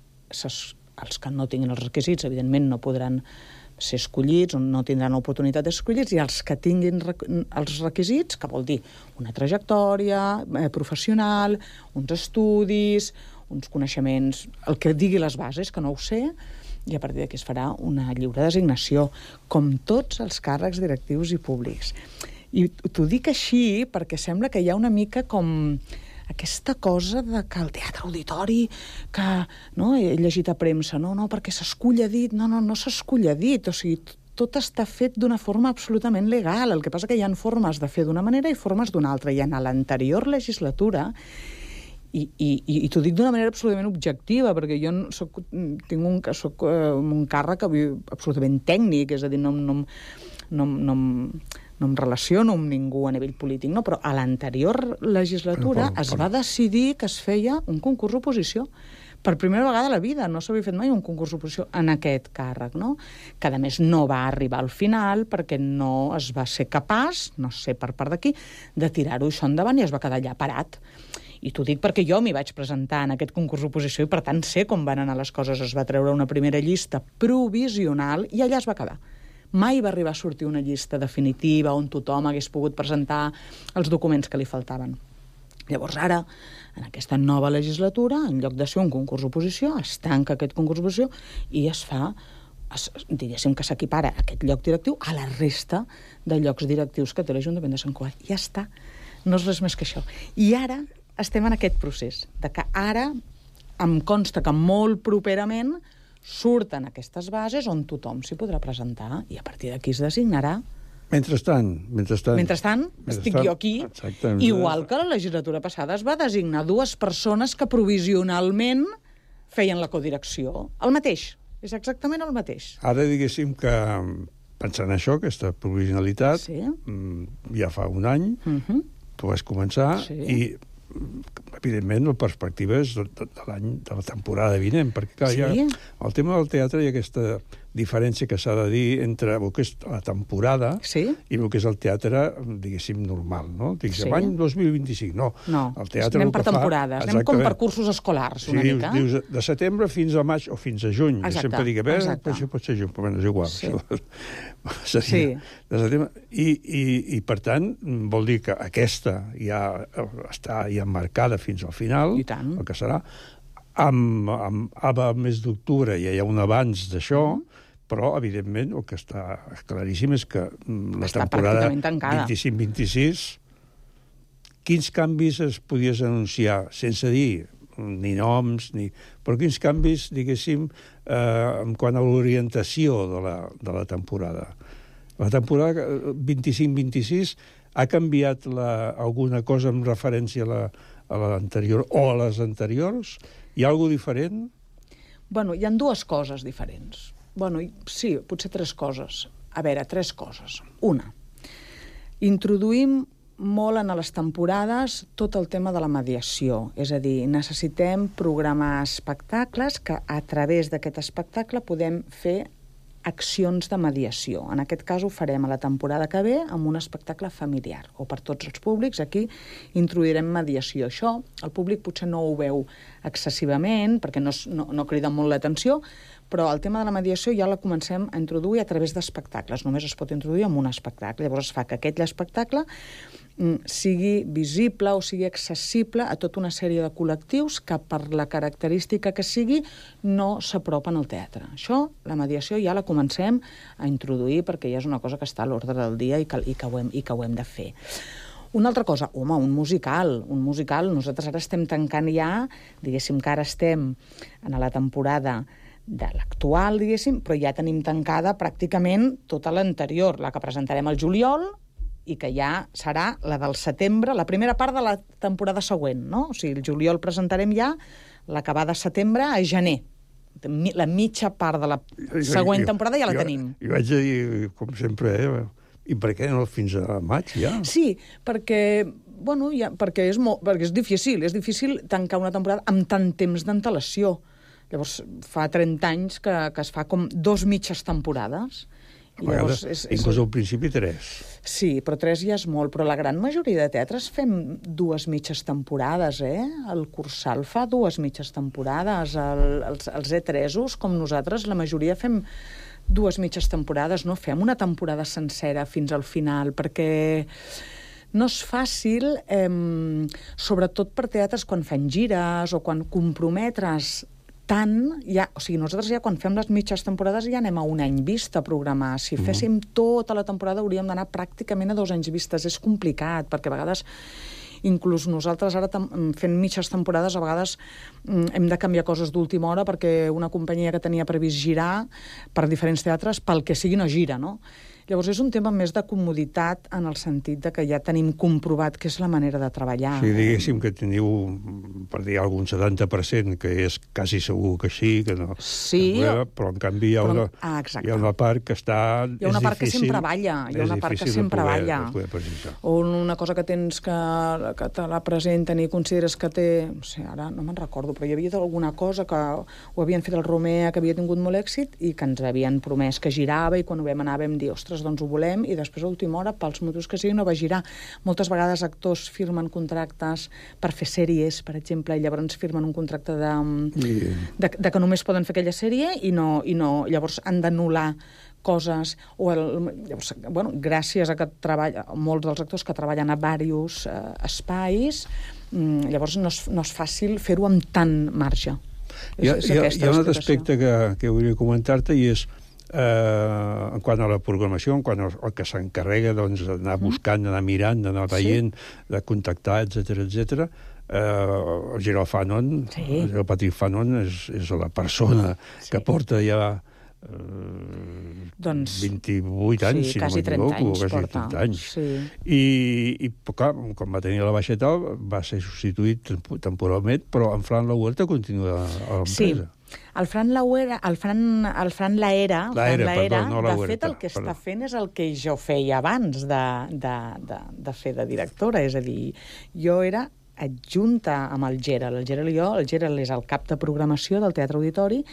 els que no tinguin els requisits, evidentment, no podran ser escollits o no tindran l'oportunitat d'esser escollits, i els que tinguin els requisits, que vol dir una trajectòria professional, uns estudis, uns coneixements, el que digui les bases, que no ho sé, i a partir d'aquí es farà una lliure designació, com tots els càrrecs directius i públics. I t'ho dic així perquè sembla que hi ha una mica com aquesta cosa de que el teatre auditori, que no, he llegit a premsa, no, perquè s'escull a dit, no s'escull a dit, o sigui, tot està fet d'una forma absolutament legal, el que passa que hi ha formes de fer d'una manera i formes d'una altra, i en l'anterior legislatura, i t'ho dic d'una manera absolutament objectiva, perquè jo tinc un càrrec absolutament tècnic, és a dir, no em relaciono amb ningú a nivell polític, no, però a l'anterior legislatura es va decidir que es feia un concurs d'oposició. Per primera vegada a la vida no s'havia fet mai un concurs d'oposició en aquest càrrec, no? Que a més no va arribar al final perquè no es va ser capaç, no sé per part d'aquí, de tirar-ho això endavant i es va quedar allà parat. I t'ho dic perquè jo m'hi vaig presentar en aquest concurs d'oposició i per tant sé com van anar les coses. Es va treure una primera llista provisional i allà es va quedar. Mai va arribar a sortir una llista definitiva on tothom hagués pogut presentar els documents que li faltaven. Llavors, ara, en aquesta nova legislatura, en lloc de ser un concurs d'oposició, es tanca aquest concurs d'oposició i es fa, diguéssim que s'equipara aquest lloc directiu a la resta de llocs directius que té l'Ajuntament de Sant Cugat. Ja està. No és res més que això. I ara estem en aquest procés, de que ara em consta que molt properament surten aquestes bases on tothom s'hi podrà presentar i a partir d'aquí es designarà. Mentrestant, estic jo aquí, igual que la legislatura passada es va designar 2 persones que provisionalment feien la codirecció. El mateix, és exactament el mateix. Ara, diguéssim que, pensant això, aquesta provisionalitat, ja fa un any, tu vas començar, i evidentment la perspectiva és de la temporada vinent, perquè clar, el tema del teatre hi ha aquesta diferència que s'ha de dir entre el que és la temporada i el que és el teatre, diguéssim, normal, no? Diguéssim, l'any 2025, no. El teatre anem per temporades, anem com per cursos escolars, una mica. Dius, de setembre fins a maig o fins a juny. Sempre dic, pot ser juny, però és igual. I, per tant, vol dir que aquesta ja està emmarcada fins al final, el que serà. Amb el mes d'octubre ja hi ha un abans d'això, però, evidentment, el que està claríssim és que la temporada 25-26, quins canvis es podies anunciar, sense dir ni noms, però quins canvis, diguéssim, en quant a l'orientació de la temporada? La temporada 25-26 ha canviat alguna cosa en referència a l'anterior o a les anteriors? Hi ha alguna cosa diferent? Bueno, hi ha 2 coses diferents. Bueno, sí, potser 3 coses. A veure, 3 coses. Una, introduïm molt en les temporades tot el tema de la mediació. És a dir, necessitem programar espectacles que a través d'aquest espectacle podem fer accions de mediació. En aquest cas ho farem a la temporada que ve amb un espectacle familiar o per tots els públics. Aquí introduirem mediació. Això el públic potser no ho veu excessivament perquè no crida molt l'atenció, però el tema de la mediació ja la comencem a introduir a través d'espectacles. Només es pot introduir amb un espectacle. Llavors es fa que aquest espectacle sigui visible o sigui accessible a tota una sèrie de col·lectius que per la característica que sigui no s'apropen al teatre. Això, la mediació, ja la comencem a introduir perquè ja és una cosa que està a l'ordre del dia i que ho hem de fer. Una altra cosa, un musical. Un musical, nosaltres ara estem tancant ja, diguéssim que ara estem en la temporada de l'actual, diguéssim, però ja tenim tancada pràcticament tota l'anterior, la que presentarem al juliol, i que ja serà la del setembre, la primera part de la temporada següent, no? O sigui, el juliol presentarem ja l'acabar de setembre a gener. La mitja part de la següent temporada ja la tenim. Jo vaig a dir, com sempre, i per què no fins a maig ja? Sí, perquè és difícil tancar una temporada amb tant temps d'antelació. Llavors, fa 30 anys que es fa com 2 mitges temporades. Inclús al principi 3. Sí, però 3 ja és molt. Però la gran majoria de teatres fem 2 mitges temporades, El Cursal fa 2 mitges temporades. Els E3-os, com nosaltres, la majoria fem 2 mitges temporades. No fem una temporada sencera fins al final, perquè no és fàcil, sobretot per teatres quan fan gires o quan comprometre's tant, o sigui, nosaltres ja quan fem les mitges temporades ja anem a un any vista a programar. Si féssim tota la temporada hauríem d'anar pràcticament a 2 anys vistes. És complicat, perquè a vegades, inclús nosaltres ara fent mitges temporades, a vegades hem de canviar coses d'última hora perquè una companyia que tenia previst girar per diferents teatres, pel que sigui, no gira, no? Llavors és un tema més de comoditat en el sentit de que ja tenim comprovat que és la manera de treballar. Sí, diguéssim que teniu, per dir algun 70%, que és quasi segur que sí, que no. Sí. Però en canvi hi ha una part que està... Hi ha una part que sempre balla. Hi ha una part que sempre balla. O una cosa que tens que te la presenten i consideres que té... No sé, ara no me'n recordo, però hi havia alguna cosa que ho havien fet el Romea, que havia tingut molt èxit i que ens havien promès que girava i quan ho vam anar vam dir, ostres, doncs ho volem, i després a última hora, pels motius que sigui, no va girar. Moltes vegades actors firmen contractes per fer sèries, per exemple, i llavors firmen un contracte de que només poden fer aquella sèrie i no llavors han d'anul·lar coses, llavors, gràcies a que molts dels actors que treballen a diversos espais, Llavors no és fàcil fer-ho amb tant marge. Hi ha un altre aspecte que volia comentar-te i és en quant a la programació, en quant al que s'encarrega d'anar buscant, d'anar mirant, d'anar veient, de contactar, etc. El Gerald Fanon, el Patrick Fanon és la persona que porta ja 28 anys, si no m'equivoco, quasi 30 anys. I clar, quan va tenir la baixeta va ser substituït temporalment, però en Fran Lauerta continua a l'empresa. El Fran Laera, de fet, el que està fent és el que jo feia abans de fer de directora, és a dir, jo era adjunta amb el Gerald. El Gerald és el cap de programació del Teatre Auditori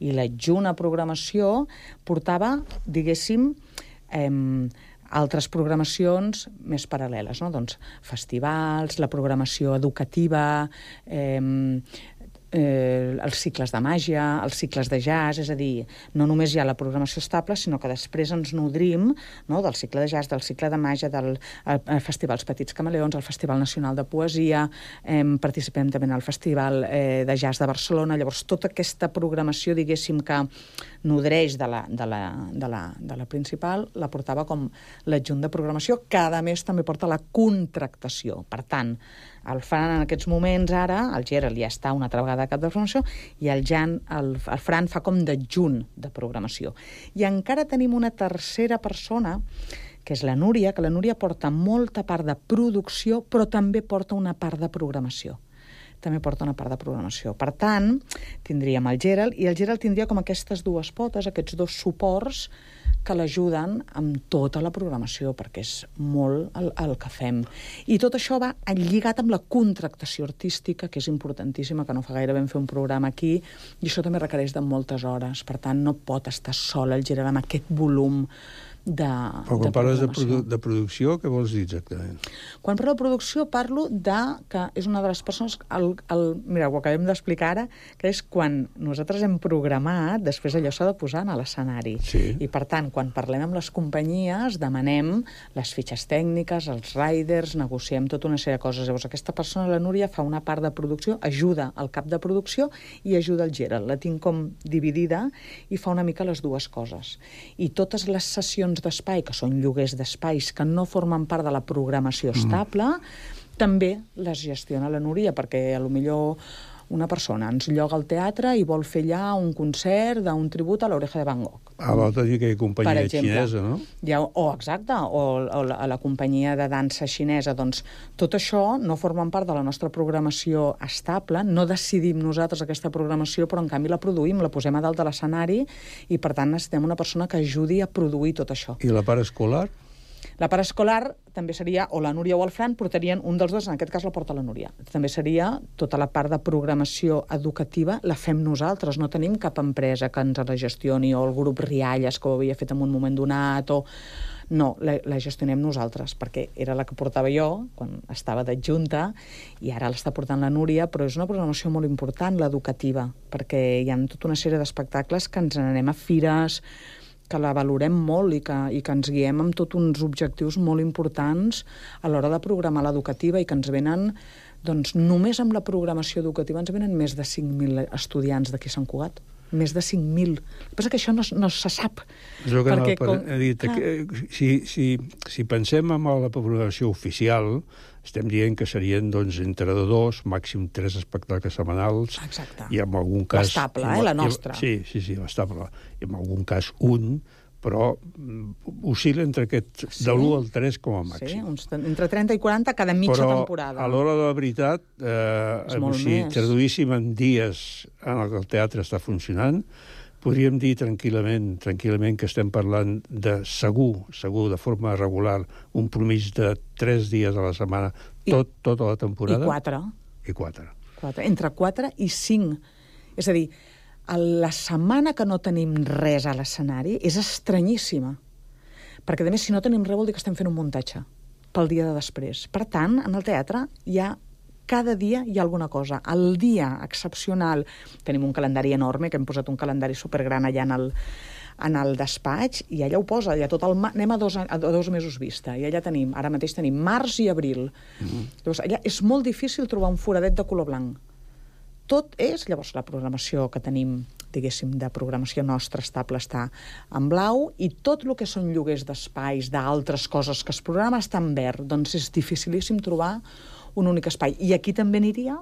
i l'adjunt a programació portava, diguéssim, altres programacions més paral·leles, no? Doncs festivals, la programació educativa, els cicles de màgia, els cicles de jazz, és a dir, no només hi ha la programació estable, sinó que després ens nodrim, no?, del cicle de jazz, del cicle de màgia, del Festival Els Petits Camaleons, el Festival Nacional de Poesia, participem també en el Festival de Jazz de Barcelona. Llavors, tota aquesta programació, diguéssim, que nodreix de la principal, la portava com l'adjunt de programació, que a més també porta la contractació. Per tant, el Fran en aquests moments ara, el Gerald ja està una altra vegada a cap de programació, i el Fran fa com d'adjunt de programació. I encara tenim una tercera persona, que és la Núria, que la Núria porta molta part de producció, però també porta una part de programació. Per tant, tindríem el Gerald, i el Gerald tindria com aquestes dues potes, aquests dos suports que l'ajuden amb tota la programació, perquè és molt el que fem. I tot això va lligat amb la contractació artística, que és importantíssima, que no fa gaire vam fer un programa aquí, i això també requereix de moltes hores. Per tant, no pot estar sol el Gerald amb aquest volum Però quan parles de producció, què vols dir exactament? Quan parlo de producció parlo que és una de les persones, mira, ho acabem d'explicar ara, que és quan nosaltres hem programat, després allò s'ha de posar a l'escenari. I per tant, quan parlem amb les companyies, demanem les fitxes tècniques, els riders, negociem tota una sèrie de coses. Llavors aquesta persona, la Núria, fa una part de producció, ajuda al cap de producció i ajuda el Gerald. La tinc com dividida i fa una mica les dues coses. I totes les sessions d'espai, que són lloguers d'espais que no formen part de la programació estable, també les gestiona la Núria, perquè potser una persona ens lloga al teatre i vol fer allà un concert d'un tribut a l'Oreja de Van Gogh. L'altre dia aquella companyia xinesa, no? Exacte, o a la companyia de dansa xinesa. Doncs tot això no formen part de la nostra programació estable, no decidim nosaltres aquesta programació, però en canvi la produïm, la posem a dalt de l'escenari i per tant necessitem una persona que ajudi a produir tot això. I la part escolar? La part escolar també seria, o la Núria o el Fran, portarien un dels dos, en aquest cas la porta la Núria. També seria tota la part de programació educativa, la fem nosaltres, no tenim cap empresa que ens la gestioni, o el grup Rialles, que ho havia fet en un moment donat, o... No, la gestionem nosaltres, perquè era la que portava jo quan estava d'adjunta i ara l'està portant la Núria, però és una programació molt important, l'educativa, perquè hi ha tota una sèrie d'espectacles que ens n'anem a fires, que la valorem molt i que ens guiem amb tots uns objectius molt importants a l'hora de programar l'educativa i que ens venen, doncs només amb la programació educativa ens venen més de 5.000 estudiants d'aquí a Sant Cugat. Més de 5.000. El que passa que això no se sap. Jo que he dit, si pensem en la programació oficial, estem dient que serien entre 2, màxim 3 espectacles setmanals. Exacte. I en algun cas... L'estable, la nostra. Sí, l'estable. I en algun cas un, però oscil·la entre aquest de l'1 al 3 com a màxim. Sí, entre 30 i 40 cada mitja temporada. Però a l'hora de la veritat, si traduíssim en dies en què el teatre està funcionant, podríem dir tranquil·lament que estem parlant de segur, de forma regular, un promís de 3 dies a la setmana, tota la temporada. I 4. Entre 4 i 5. És a dir, la setmana que no tenim res a l'escenari és estranyíssima. Perquè, a més, si no tenim res vol dir que estem fent un muntatge pel dia de després. Per tant, en el teatre cada dia hi ha alguna cosa. El dia excepcional, tenim un calendari enorme, que hem posat un calendari supergran allà en el despatx, i allà ho posa, allà tot anem a 2 mesos vista, i allà tenim, ara mateix tenim març i abril. Llavors, allà és molt difícil trobar un foradet de color blanc. Tot és, llavors, la programació que tenim, diguéssim, de programació nostra estable està en blau, i tot el que són lloguers d'espais, d'altres coses que es programa, està en verd. Doncs és dificilíssim trobar un únic espai. I aquí també aniria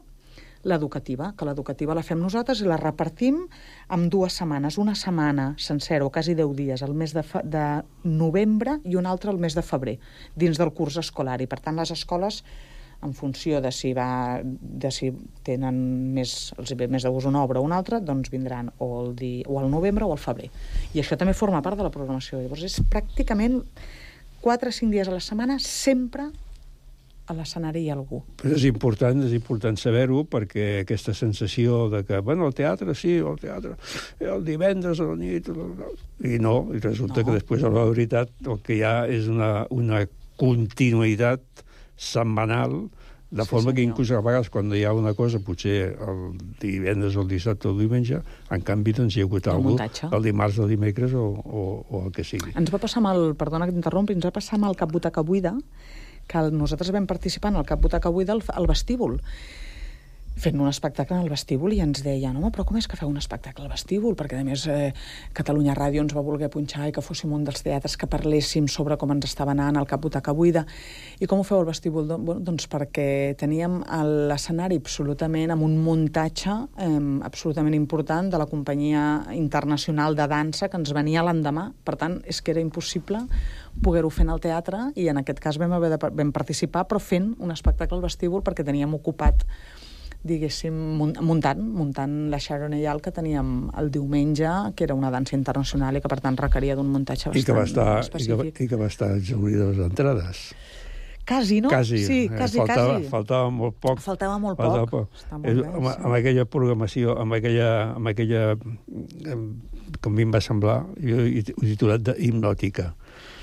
l'educativa, que l'educativa la fem nosaltres i la repartim en 2 setmanes, una setmana sencera o quasi 10 dies, el mes de novembre i una altra el mes de febrer, dins del curs escolar. I per tant les escoles, en funció de si tenen els ve més de gust una obra o una altra, doncs vindran o al novembre o al febrer. I això també forma part de la programació. Llavors és pràcticament 4 o 5 dies a la setmana, sempre a l'escenari hi ha algú. Però és important saber-ho, perquè aquesta sensació de que, bueno, el teatre sí, el divendres a la nit, i resulta que després, a la veritat, el que hi ha és una continuïtat setmanal, de forma que inclús a vegades quan hi ha una cosa, potser el divendres o el dissabte o el diumenge, en canvi doncs hi ha hagut el dimarts o el dimecres o el que sigui. Ens va passar perdona que t'interrompi, ens va passar amb el Cap Butaca Buida, que nosaltres vam participar en el Cap Butaca Buida al vestíbul, fent un espectacle en el vestíbul, i ens deien, home, però com és que feu un espectacle al vestíbul? Perquè, a més, Catalunya Ràdio ens va voler punxar i que fóssim un dels teatres que parléssim sobre com ens estava anant el Cap Butaca Buida. I com ho feu al vestíbul? Doncs perquè teníem l'escenari absolutament amb un muntatge absolutament important de la companyia internacional de dansa que ens venia l'endemà. Per tant, és que era impossible poder-ho fer en el teatre, i en aquest cas vam participar, però fent un espectacle al vestíbul perquè teníem ocupat, diguéssim, muntant la Sharon Eyal que teníem el diumenge, que era una dansa internacional i que, per tant, requeria d'un muntatge bastant específic. I que va estar exhaurida les entrades. Quasi, no? Quasi. Sí, quasi. Faltava molt poc. Faltava molt poc. Amb aquella programació, amb aquella com a mi em va semblar, jo he titulat d'hipnòtica.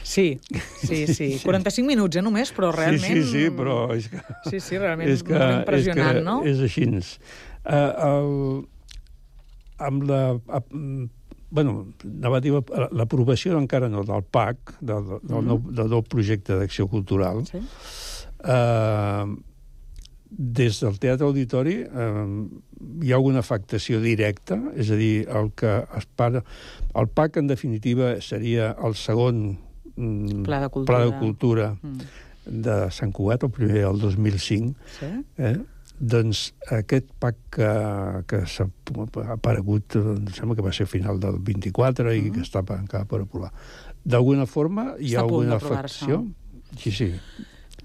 Sí. 45 minuts, només, però realment... Sí, però és que... Sí, realment molt impressionant, no? És així. Amb la... Bueno, l'aprovació encara no, del PAC, del nou projecte d'acció cultural, des del Teatre Auditori hi ha alguna afectació directa, és a dir, el PAC, en definitiva, seria el segon Pla de Cultura de Sant Cugat, el primer el 2005. Doncs aquest PAC que s'ha aparegut, em sembla que va ser a final del 24 i que està encara per aprovar. D'alguna forma hi ha alguna afectació? Sí.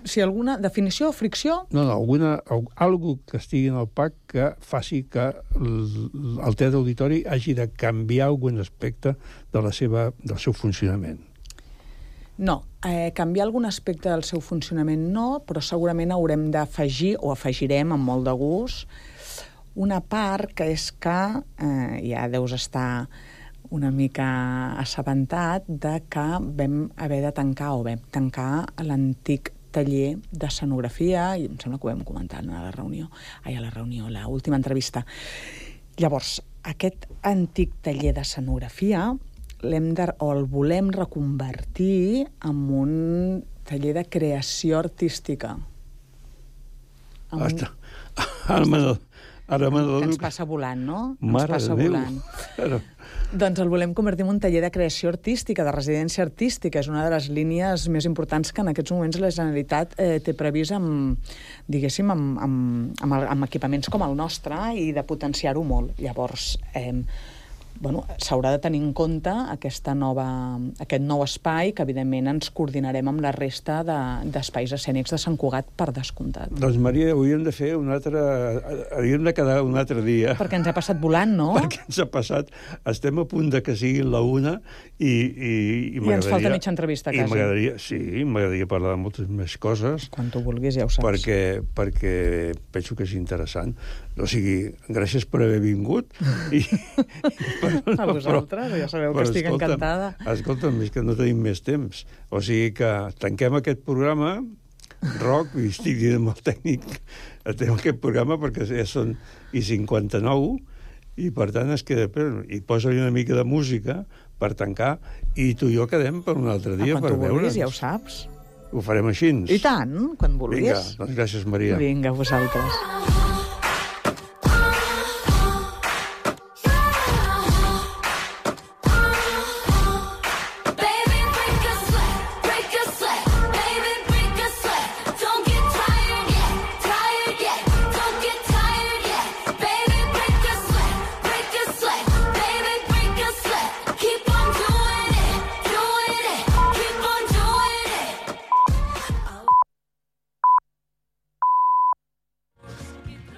Si alguna definició o fricció? No, algú que estigui en el PAC que faci que el Teatre Auditori hagi de canviar algun aspecte del seu funcionament. No, canviar algun aspecte del seu funcionament no, però segurament haurem d'afegir, o afegirem amb molt de gust, una part que és que ja deus estar una mica assabentat de que vam haver de tancar l'antic taller d'escenografia, i em sembla que ho vam comentar a l'última entrevista. Llavors, aquest antic taller d'escenografia el volem reconvertir en un taller de creació artística. Ara que ens passa volant, no? Mare de Déu! Doncs el volem convertir en un taller de creació artística, de residència artística. És una de les línies més importants que en aquests moments la Generalitat té previst amb equipaments com el nostre, i de potenciar-ho molt. Llavors, s'haurà de tenir en compte aquest nou espai, que evidentment ens coordinarem amb la resta d'espais escènics de Sant Cugat, per descomptat. Doncs, Maria, hauríem de quedar un altre dia. Perquè ens ha passat volant, no? Perquè ens ha passat. Estem a punt de que sigui la 1 i ens falta mitja entrevista, quasi. M'agradaria parlar de moltes més coses. Quan tu vulguis, ja ho saps. Perquè penso que és interessant. O sigui, gràcies per haver vingut. A vosaltres, ja sabeu que estic encantada. Escolta'm, és que no tenim més temps. O sigui que tanquem aquest programa, Roc, i estic dient amb el tècnic, tanquem aquest programa perquè ja són 59, i per tant es queda... I posa-li una mica de música per tancar, i tu i jo quedem per un altre dia per veure'ns. Quan tu vulguis, ja ho saps. Ho farem així. I tant, quan vulguis. Vinga, doncs gràcies, Maria. Vinga, vosaltres.